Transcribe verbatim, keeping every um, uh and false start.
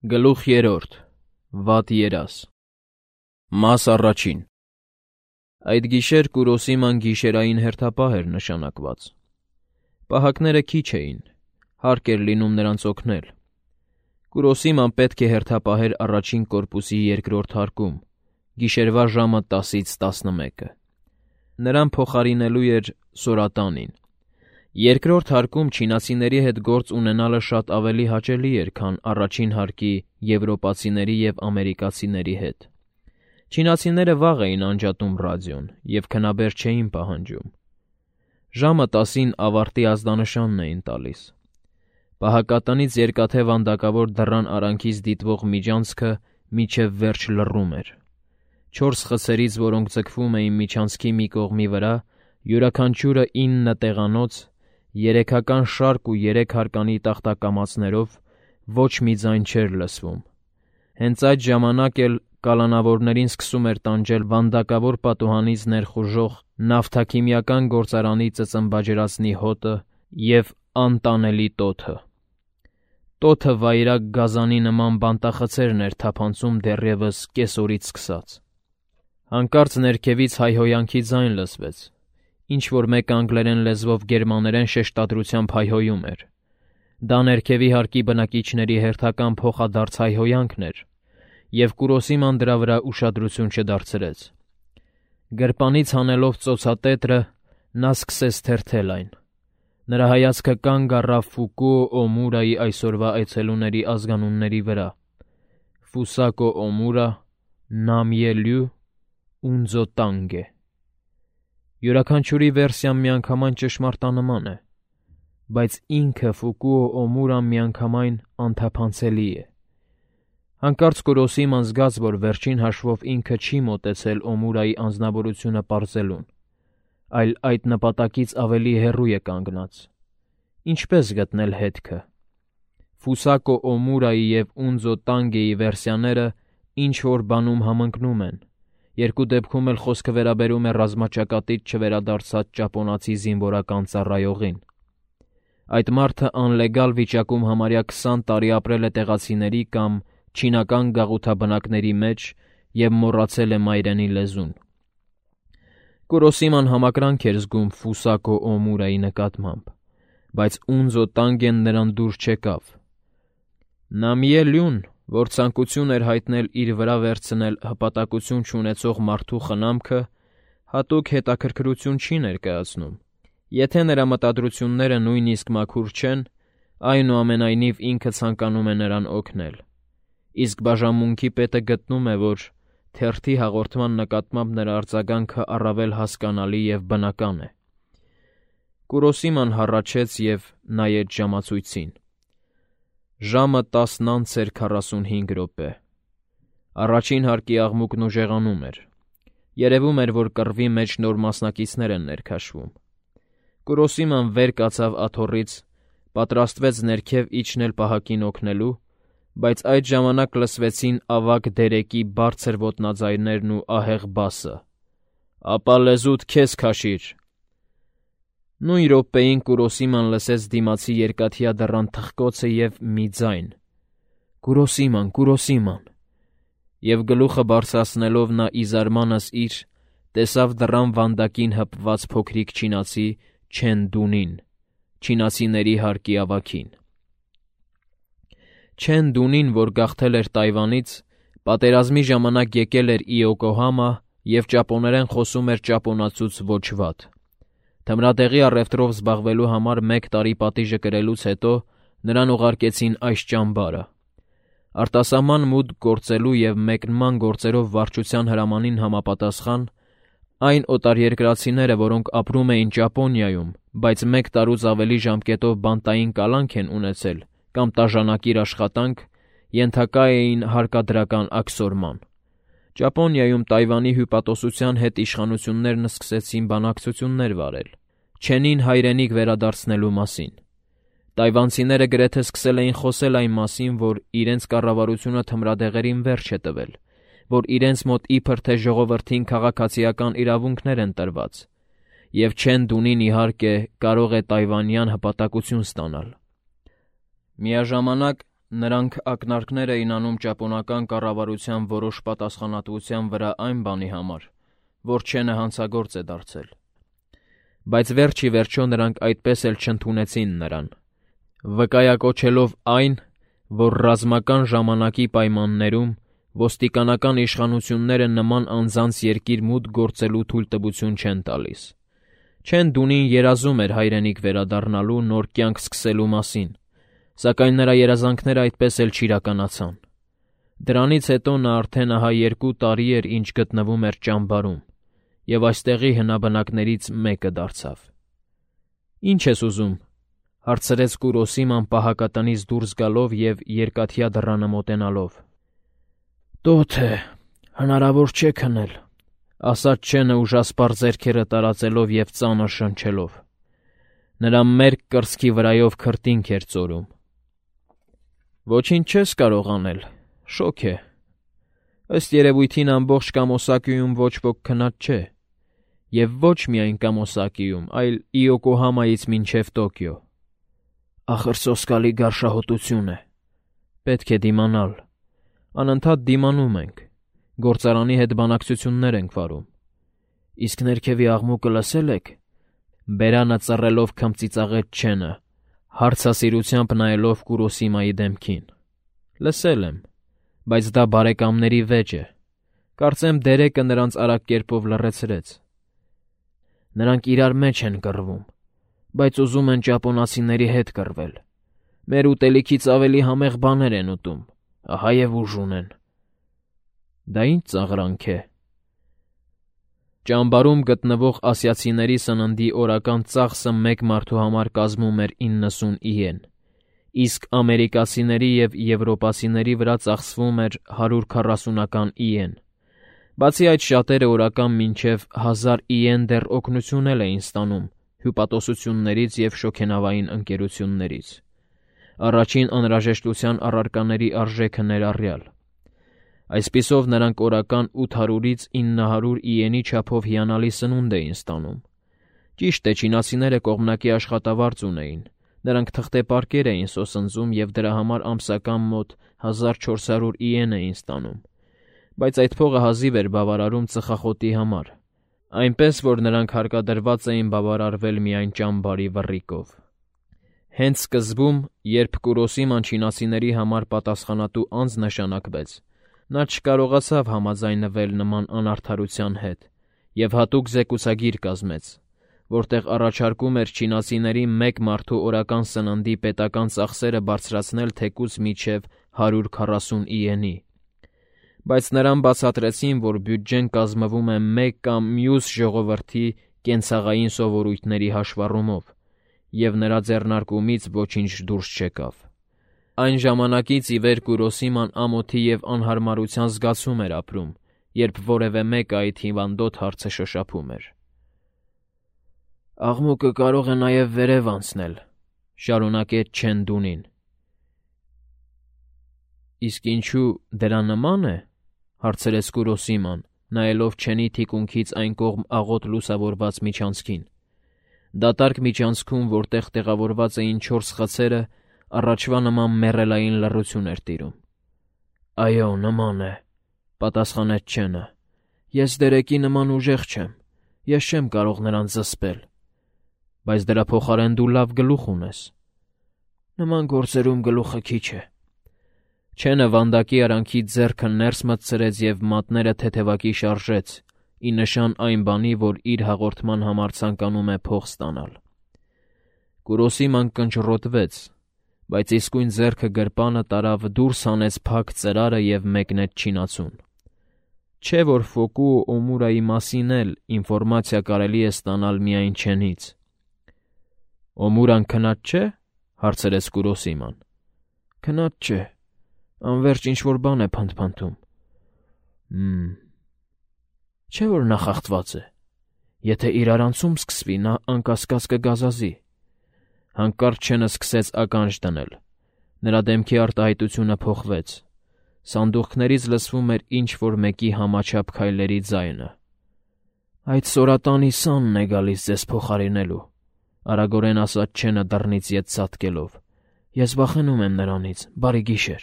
Գլուխ երրորդ. Վատ երազ Մաս առաջին Այդ գիշեր Կուրոսիման գիշերային հերթապահ էր նշանակված։ Պահակները քիչ էին, հարկ էր լինում նրանց օգնել։ Կուրոսիման պետք է հերթապահեր առաջին կորպուսի երկրորդ հարկում, գիշերվա ժամը տասից տասնմեկը։ Նրան փոխարինելու էր Սորատանին։ Երկրորդ հարկում չինացիների հետ գործ ունենալը շատ ավելի հաճելի էր, քան առաջին հարկի եվրոպացիների և ամերիկացիների հետ։ Չինացիները վաղ էին անջատում ռադիոն և քնաբեր չէին պահանջում։ Ժամը տասին ավարտի ազդանշանն էին տալիս։ Պահակատնից երկաթե վանդակավոր դռան արանքից դիտվող միջանցքը մինչև վերջ լռում էր։ Չորս խցերից, որոնք ձգվում էին միջանցքի մի կողմի վրա, յուրաքանչյուրը ինը տեղանոց, երեքական շարք ու երեք հարկանի տախտակամածներով, ոչ մի ձայն չէր լսվում։ Հենց այդ ժամանակ էլ կալանավորներին սկսում էր տանջել վանդակավոր պատուհանից ներխուժող նավթաքիմիական գործարանի ծծմբաջրածնի հոտը և անտանելի տոթը։ Տոթը վայրագ գազանի նման բանտախցերն էր թափանցում դեռևս կեսօրից սկսած։ Հանկարծ ներքևից հայհոյանքի ձայն լսվեց, ինչ-որ մեկ անգլերեն լեզվով գերմաներեն շեշտադրությամբ հայհոյում էր։ Դա ներքևի հարկի բնակիչների հերթական փոխադարձ հայհոյանքն էր, և Կուրոսիման դրա վրա ուշադրություն չդարձրեց։ Գրպանից հանելով ծոցատետրը, նա սկսեց թերթել այն։ Նրա հայացքը կանգ առավ Ֆուկուո Օմուրայի այսօրվա այցելուների ազգանունների վրա՝ Ֆուսակո Օմուրա, Նամիե Լյու, Ունձո Տանգե։ Յուրաքանչյուրի վերսիան միանգամայն ճշմարտանման է, բայց ինքը Ֆուկուո Օմուրան միանգամայն անթափանցելի է։ Հանկարծ Կուրոսիման զգաց, որ վերջին հաշվով ինքը չի մոտեցել Օմուրայի անձնավորությունը պարզելուն, այլ այդ նպատակից ավելի հեռու է կանգնած։ Ինչպե՞ս գտնել հետքը։ Ֆուսակո Օմուրայի և Ունձո Տանգեի վերսիաները ինչ-որ բանում համընկնում են, երկու դեպքում էլ խոսքը վերաբերում է ռազմաճակատից չվերադարձած ճապոնացի զինվորական ծառայողին։ Այդ մարդը անլեգալ վիճակում համարյա քսան տարի ապրել է տեղացիների կամ չինական գաղութաբնակների մեջ և մոռացել է մայրենի լեզուն։ Կուրոսիման համակրանք էր զգում Ֆուսակո Օմուրայի նկատմամբ, բայց Ունձո Տանգեն նրան դուր չեկավ։ Նամիե Լյուն, որ ցանկություն էր հայտնել իր վրա վերցնել հպատակություն չունեցող մարդու խնամքը, հատուկ հետաքրքրություն չի ներկայացնում։ Եթե նրա մտադրությունները նույնիսկ մաքուր չեն, այնուամենայնիվ ինքը ցանկանում է նրան օգնել։ Իսկ բաժանմունքի պետը գտնում է, որ թերթի հաղորդման նկատմամբ նրա արձագանքը առավել հասկանալի և բնական է։ Կուրոսիման հառաչեց և նայեց ժամացույցին։ Ժամը տասն անց էր քառասունհինգ րոպե։ Առաջին հարկի աղմուկն ուժեղանում էր։ Երևում էր, որ կռվի մեջ նոր մասնակիցներ են ներքաշվում։ Կուրոսիման վեր կացավ աթոռից, պատրաստվեց ներքև իջնել պահակին օգնելու, բայց այդ ժամանակ լսվեցին ավագ դերեկի բարձր ոտնաձայներն ու ահեղ բասը. «Ապա լեզուդ քեզ քաշիր»։ Նույն րոպեին Կուրոսիման լսեց դիմացի երկաթյա դռան թխկոցը և մի ձայն. «Կուրոսիման, Կուրոսիման»։ Եվ գլուխը բարձրացնելով նա ի զարմանս իր տեսավ դռան վանդակին հպված փոքրիկ չինացի Չեն Դունին, չինացիների հարկի ավագին։ Չեն Դունին, որ գաղթել էր Թայվանից, պատերազմի ժամանակ եկել էր Իոկոհամա և ճապոներեն խոսում էր ճապոնացուց ոչ վատ։ Թմրատեղի առևտրով զբաղվելու համար մեկ տարի պատիժը կրելուց հետո նրան ուղարկեցին այս ճամբարը։ Արտասահման մուտք գործելու և մեկնման գործերով վարչության հրամանին համապատասխան, այն օտարերկրացիները, որոնք ապրում էին Ճապոնիայում, բայց մեկ տարուց ավելի ժամկետով բանտային կալանք են ունեցել կամ տաժանակիր աշխատանք, ենթակա էին հարկադրական աքսորման։ Ճապոնիայում Թայվանի հյուպատոսության հետ իշխանություններն սկսեցին բանակցություններ վարել Չենին հայրենիք վերադարձնելու մասին։ Թայվանցիները գրեթե սկսել էին խոսել այն մասին, որ իրենց կառավարությունը թմրադեղերին վերջ է տվել, որ իրենց մոտ իբր թե ժողովրդին քաղաքացիական իրավունքներ են տրված, և Չեն Դունին, իհարկե, կարող է թայվանյան հպատակություն ստանալ։ Միաժամանակ նրանք ակնարկներ էին անում ճապոնական կառավարության որոշ պատասխանատվության վրա այն բանի համար, որ Չենը հանցագործ է դարձել։ Բայց վերջ ի վերջո նրանք այդպես էլ չընդունեցին նրան, վկայակոչելով այն, որ ռազմական ժամանակի պայմաններում ոստիկանական իշխանությունները նման անձանց երկիր մուտք գործելու թույլտվություն չեն տալիս։ Չեն Դունին երազում էր հայրենիք վերադառնալու նոր կյանք սկսելու մասին, սակայն նրա երազանքները այդպես էլ չիրականացան։ Դրանից հետո նա արդեն ահա երկու տարի էր ինչ գտնվում էր ճամբարում, և այստեղի հնաբնակներից մեկը դարձավ։ «Ինչ ես ուզում», հարցրեց Կուրոսիման պահակատնից դուրս գալով և երկաթյա դռանը մոտենալով։ «Տոթ է, հնարավոր չէ քնել», ասաց Չենը ուժասպառ ձեռքերը տարածելով և ծանր շնչելով։ Նրա մերկ կրծքի վրայով քրտինք էր ծորում։ «Ոչինչ չես կարող անել, շոգ է։ Ըստ երևույթին ամբողջ Կամոսակիում ոչ ոք քնած չէ, և ոչ միայն Կամոսակիում, այլ Իոկոհամայից մինչև Տոկիո։ Ախր սոսկալի գարշահոտություն է։ Պետք է դիմանալ։ Անընդհատ դիմանում ենք, գործարանի հետ բանակցություններ ենք վարում։ Իսկ ներքևի աղմուկը լսել եք», բերանը ծռելով քմծիծաղեց Չենը, հարցասիրությամբ նայելով Կուրոսիմայի դեմքին։ «Լսել եմ, բայց դա բարեկամների վեճ է։ Կարծեմ դերեկը նրանց արագ կերպով լռեցրեց։ Նրանք իրար մեջ են կռվում, բայց ուզում են ճապոնացիների հետ կռվել։ Մեր ուտելիքից ավելի համեղ բաներ են ուտում, ահա և ուժ ունեն»։ «Դա ինչ ծաղրանք է»։ Ճամբարում գտնվող ասիացիների սննդի օրական ծախսը մեկ մարդու համար կազմում էր իննսուն իեն, իսկ ամերիկացիների և եվրոպացիների վրա ծախսվում էր հարյուր քառասունական իեն։ Բացի այդ, շատերը օրական մինչև հազար իեն դեռ օգնություն էլ էին ստանում հյուպատոսություններից և շոգենավային ընկերություններից, առաջին անհրաժեշտության առարկաների արժեքը ներառյալ։ Այսպիսով նրանք օրական ութ հարյուրից ինը հարյուր իենի չափով հիանալի սնունդ էին ստանում։ Ճիշտ է, չինացիները կողմնակի աշխատավարձ ունեին, նրանք թղթեպարկեր էին սոսնձում և դրա համար ամսական մոտ հազար չորս հարյուր իեն էին ստանում, բայց այդ փողը հազիվ էր բավարարում ծխախոտի համար, այնպես որ նրանք հարկադրված էին բավարարվել միայն ճամբարի վռիկով։ Հենց սկզբում, երբ Կուրոսիման չինացիների համար պատասխանատու անձ նշանակվեց, նա չկարողացավ համաձայնվել նման անարդարության հետ և հատուկ զեկուցագիր կազմեց, որտեղ առաջարկում էր չինացիների մեկ մարդու օրական սննդի պետական ծախսերը բարձրացնել թեկուզ մինչև հարյուր քառասուն իենի։ Բայց նրան բացատրեցին, որ բյուջեն կազմվում է մեկ կամ մյուս ժողովրդի կենցաղային սովորույթների հաշվառումով, և նրա ձեռնարկումից ոչինչ դուրս չեկավ։ Այն ժամանակից ի վեր Կուրոսիման ամոթի և անհարմարության զգացում էր ապրում, երբ որևէ մեկը այդ հիվանդոտ հարցը շոշափում էր։ «Աղմուկը կարող է նաև վերև անցնել», շարունակեց Չեն Դունին։ «Իսկ ինչու դրա նման է», հարցրեց Կուրոսիման, նայելով Չենի թիկունքից այն կողմ աղոտ լուսավորված միջանցքին։ Դատարկ միջանցքում, որտեղ տեղավորված էին չորս խցերը, առաջվա նման մեռելային լռություն էր տիրում։ «Այո, նման է», պատասխանեց Չենը։ «Ես դերեկի նման ուժեղ չեմ, ես չեմ կարող նրան զսպել»։ «Բայց դրա փոխարեն դու լավ գլուխ ունես»։ «Նման գործերում գլուխը քիչ է»։ Չենը վանդակի արանքից ձեռքը ներս մտցրեց և մատները թեթևակի շարժեց, ի նշան այն բանի, որ իր հաղորդման համար ցանկանում է փող ստանալ։ Կուրոսիման կնճռոտվեց, բայց իսկույն ձեռքը գրպանը տարավ, դուրս հանեց փակ ծրարը և մեկնեց չինացուն։ Չէ՞ որ Ֆոկուո Օմուրայի մասին էլ ինֆորմացիա կարելի է ստանալ միայն Չենից։ «Օմուրան քնած չէ՞, հարցրեց Կուրոսիման։ «Քնած չէ, անվերջ ինչ-որ բան է փնթփնթում»։ «Հ'մ, չէ՞ որ նա խախտված է։ Եթե իրարանցում սկսվի, նա անկասկած կգազազի»։ Հանկարծ Չենը սկսեց ականջ դնել։ Նրա դեմքի արտահայտությունը փոխվեց։ Սանդուղքներից լսվում էր ինչ-որ մեկի համաչափ քայլերի ձայնը։ «Այդ սորատանի սանն է գալիս ձեզ փոխարինելու», արագորեն ասաց Չենը դռնից ետ ցատկելով, Ես վախենում եմ նրանից, բարի գիշեր։